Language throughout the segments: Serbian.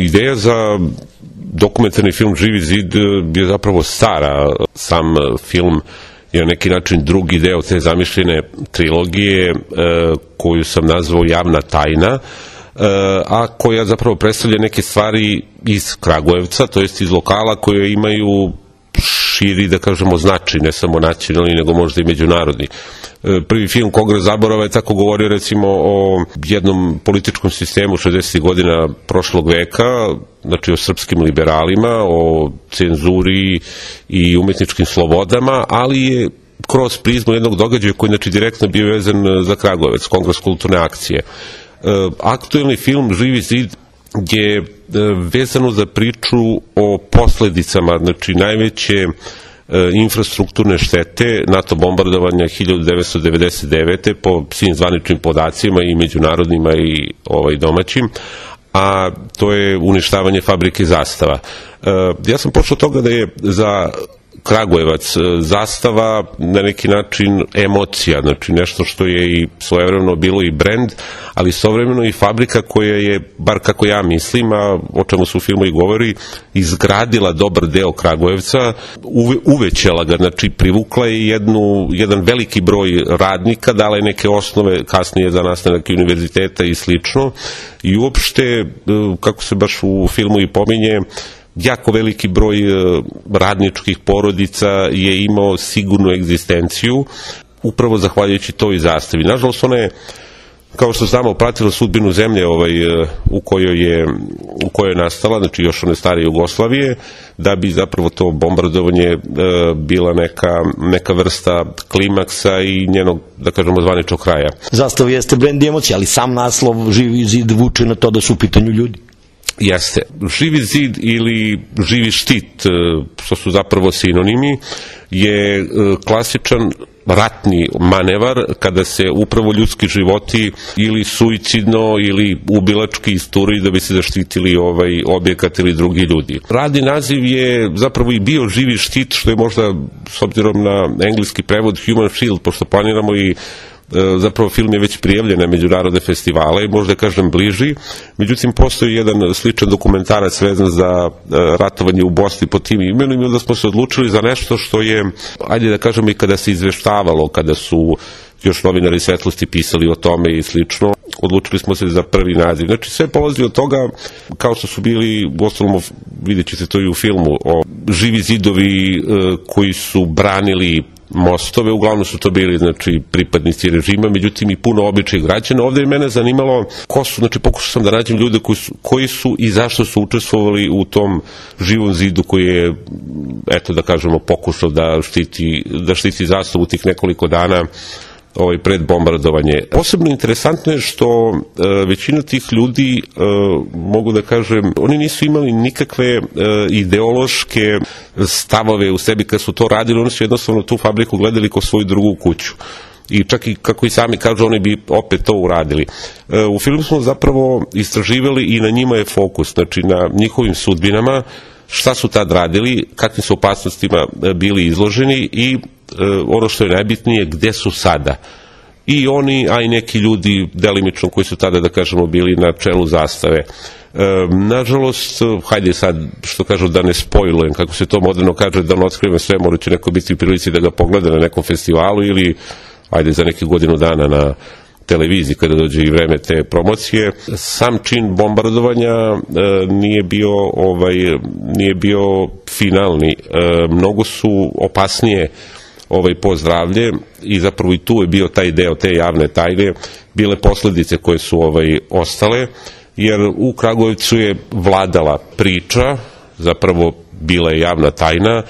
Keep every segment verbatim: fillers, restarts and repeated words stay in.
ideja za dokumentarni film Živi zid je zapravo stara. Sam film je na neki način drugi deo te zamišljene trilogije koju sam nazvao Javna tajna, a koja zapravo predstavlja neke stvari iz Kragujevca, to jest iz lokala koje imaju širi, da kažemo, značaj, ne samo nacionalni, nego možda i međunarodni. Prvi film Kongres zaborava je tako govorio recimo o jednom političkom sistemu šezdesetih godina prošlog veka, znači o srpskim liberalima, o cenzuri i umetničkim slobodama, ali je kroz prizmu jednog događaja koji znači direktno bio vezan za Kragujevac, Kongres kulturne akcije. Aktuelni film Živi zid je vezano za priču o posledicama, znači najveće infrastrukturne štete NATO bombardovanja hiljadu devetsto devedeset devete po svim zvaničnim podacima i međunarodnima i ovaj domaćim, a to je uništavanje fabrike Zastava. Ja sam počeo toga da je za Kragujevac Zastava na neki način emocija, znači nešto što je i svojevremeno bilo i brend, ali istovremeno i fabrika koja je, bar kako ja mislim, a o čemu se u filmu i govori, izgradila dobar deo Kragujevca, uve, uvećala ga, znači privukla je jednu, jedan veliki broj radnika, dala je neke osnove kasnije za nastanak univerziteta i slično, i uopšte, kako se baš u filmu i pominje, jako veliki broj radničkih porodica je imao sigurnu egzistenciju upravo zahvaljujući toj zastavi. Nažalost, ona je, kao što znamo, pratila sudbinu zemlje ovaj, u kojoj je u kojoj je nastala, znači još one stare Jugoslavije, da bi zapravo to bombardovanje e, bila neka, neka vrsta klimaksa i njenog, da kažemo, zvaničnog kraja. Zastava jeste brend emocija, ali sam naslov Živi zid vuče na to da su u pitanju ljudi. Jeste. Živi zid ili živi štit, što su zapravo sinonimi, je klasičan ratni manevar kada se upravo ljudski životi ili suicidno ili ubilački isturaju da bi se zaštitili ovaj objekat ili drugi ljudi. Radni naziv je zapravo i bio živi štit, što je možda, s obzirom na engleski prevod, Human Shield, pošto planiramo i zapravo film je već prijavljen na međunarodne festivale i možda kažem bliži, međutim postoji jedan sličan dokumentarac vezan za ratovanje u Bosni pod tim imenom i onda smo se odlučili za nešto što je, ajde da kažemo, i kada se izveštavalo, kada su još novinari Svetlosti pisali o tome i slično, odlučili smo se za prvi naziv. Znači sve polazi od toga, kao što su bili, u ostalom vidjet će se to i u filmu, o živi zidovi koji su branili mostove, uglavnom su to bili, znači, pripadnici režima, međutim i puno običnih građana. Ovde je mene zanimalo ko su, znači pokušao sam da nađem ljude koji su, koji su i zašto su učestvovali u tom živom zidu koji je, eto da kažemo, pokušao da štiti, da štiti zastavu tih nekoliko dana ovaj, pred bombardovanje. Posebno interesantno je što e, većina tih ljudi, e, mogu da kažem, oni nisu imali nikakve e, ideološke stavove u sebi kad su to radili, oni su jednostavno tu fabriku gledali kao svoju drugu kuću. I čak i, kako i sami kažu, oni bi opet to uradili. E, u filmu smo zapravo istraživali i na njima je fokus, znači na njihovim sudbinama, šta su tad radili, kakvim su opasnostima bili izloženi i ono što je najbitnije, gde su sada. I oni, a i neki ljudi delimično koji su tada, da kažemo, bili na čelu zastave. E, nažalost, hajde sad, što kažu, da ne spojlujem, kako se to moderno kaže, da ne otkrivam sve, mora će neko biti u prilici da ga pogleda na nekom festivalu ili, ajde, za neki godinu dana na televiziji kada dođe i vreme te promocije. Sam čin bombardovanja e, nije bio ovaj nije bio finalni. E, mnogo su opasnije ovaj po zdravlje i zapravo i tu je bio taj deo te javne tajne, bile posledice koje su ovaj ostale, jer u Kragujevcu je vladala priča, zapravo bila je javna tajna,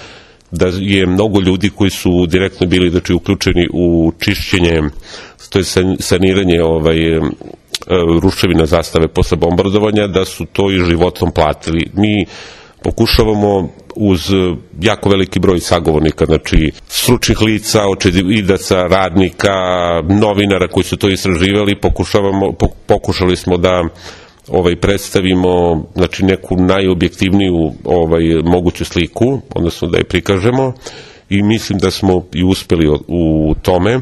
da je mnogo ljudi koji su direktno bili, znači, uključeni u čišćenje, to je saniranje ovaj, ruševina zastave posle bombardovanja, da su to i životom platili. Mi pokušavamo uz jako veliki broj sagovornika, znači stručnih lica, očevidaca, radnika, novinara koji su to istraživali, pokušavamo, pokušali smo da ovaj predstavimo, znači, neku najobjektivniju ovaj moguću sliku, odnosno da je prikažemo, i mislim da smo i uspeli u tome,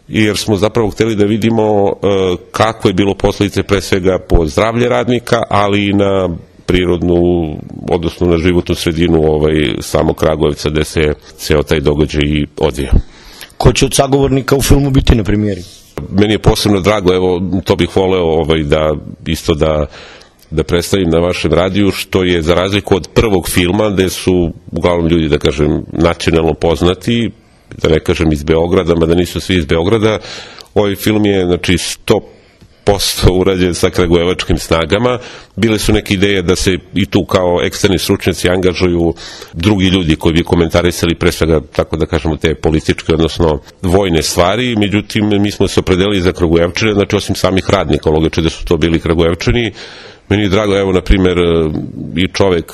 jer smo zapravo hteli da vidimo kako je bilo posledice pre svega po zdravlje radnika, ali i na prirodnu, odnosno na životnu sredinu ovaj, samog Kragujevca gde se ceo taj događaj i odvija. Ko će od sagovornika u filmu biti na premijeri? Meni je posebno drago, evo, to bih voleo ovaj, da isto da da predstavim na vašem radiju, što je za razliku od prvog filma, gde su uglavnom ljudi, da kažem, nacionalno poznati, da ne kažem iz Beograda, mada nisu svi iz Beograda, ovaj film je, znači, sto posto urađen sa kragujevačkim snagama. Bile su neke ideje da se i tu kao eksterni stručnjaci angažuju drugi ljudi koji bi komentarisali pre svega, tako da kažemo, te političke, odnosno vojne stvari, međutim, mi smo se opredelili za Kragujevčane, znači osim samih radnika, logično da su to bili Kragujevčani. Meni je drago, evo, na primjer, i čovek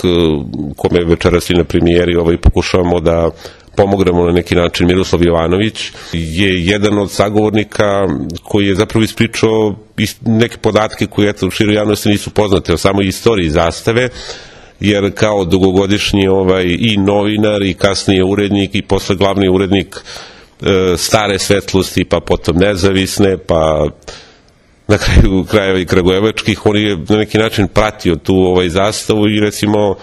kome večeras i na premijeri ovaj, pokušavamo da pomognemo na neki način, Miroslav Jovanović, je jedan od sagovornika koji je zapravo ispričao neke podatke koje, eto, u široj javnosti nisu poznate o samoj istoriji Zastave, jer kao dugogodišnji ovaj, i novinar i kasnije urednik i posle glavni urednik e, Stare svetlosti, pa potom Nezavisne, pa na kraju krajeva i kragujevačkih, on je na neki način pratio tu ovaj Zastavu i recimo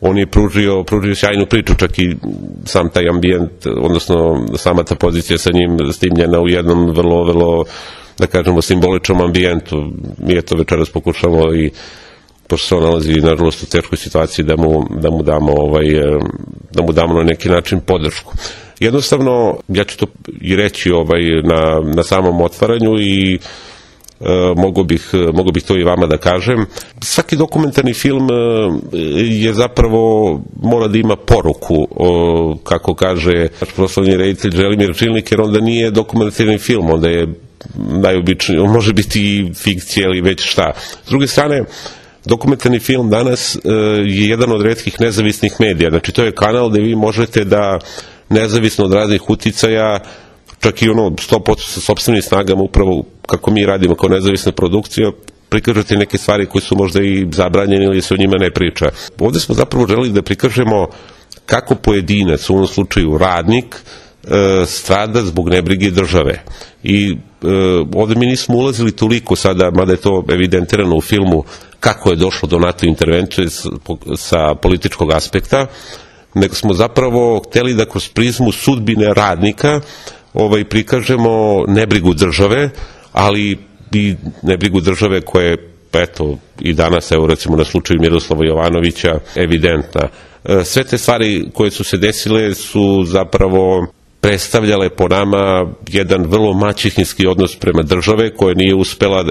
on je pružio, pružio sjajnu priču, čak i sam taj ambijent, odnosno sama ta pozicija sa njim snimljena u jednom vrlo, vrlo, da kažemo, simboličnom ambijentu. Mi eto večeras pokušamo i pošto se on nalazi nažalost u teškoj situaciji da mu, da mu damo ovaj, da mu damo na neki način podršku. Jednostavno, ja ću to i reći ovaj, na, na samom otvaranju i E, mogu bih, mogu bih to i vama da kažem. Svaki dokumentarni film je zapravo, mora da ima poruku, o, kako kaže naš proslavni reditelj Želimir Čilnik, jer onda nije dokumentarni film, onda je najobičniji, on može biti i fikcija ili već šta. S druge strane, dokumentarni film danas e, je jedan od retkih nezavisnih medija, znači to je kanal gde vi možete da nezavisno od raznih uticaja, čak i ono sto posto sa sopstvenim snagama, upravo kako mi radimo kao nezavisna produkcija, prikažete neke stvari koje su možda i zabranjene ili se o njima ne priča. Ovde smo zapravo želeli da prikažemo kako pojedinac, u ovom slučaju radnik, strada zbog nebrige države. I ovde mi nismo ulazili toliko sada, mada je to evidentirano u filmu, kako je došlo do NATO intervencije sa političkog aspekta, nego smo zapravo hteli da kroz prizmu sudbine radnika ovaj, prikažemo nebrigu države, ali i nebrigu države koja je, eto, i danas, evo recimo na slučaju Miroslava Jovanovića, evidentna. Sve te stvari koje su se desile su zapravo predstavljale po nama jedan vrlo maćehinski odnos prema države, koja nije uspela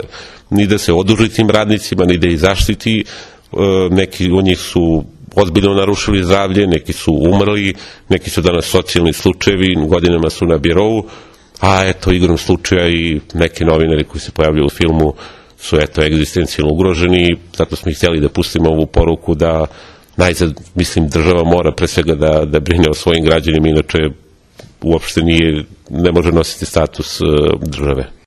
ni da se oduži tim radnicima, ni da ih zaštiti. Neki od njih su ozbiljno narušili zdravlje, neki su umrli, neki su danas socijalni slučajevi, godinama su na birovu, a eto, igrom slučaja i neki novinari koji se pojavljaju u filmu su eto egzistencijalno ugroženi, zato smo ih htjeli da pustimo ovu poruku da najzad, mislim, država mora pre svega da, da brine o svojim građanima, inače uopšte nije, ne može nositi status države.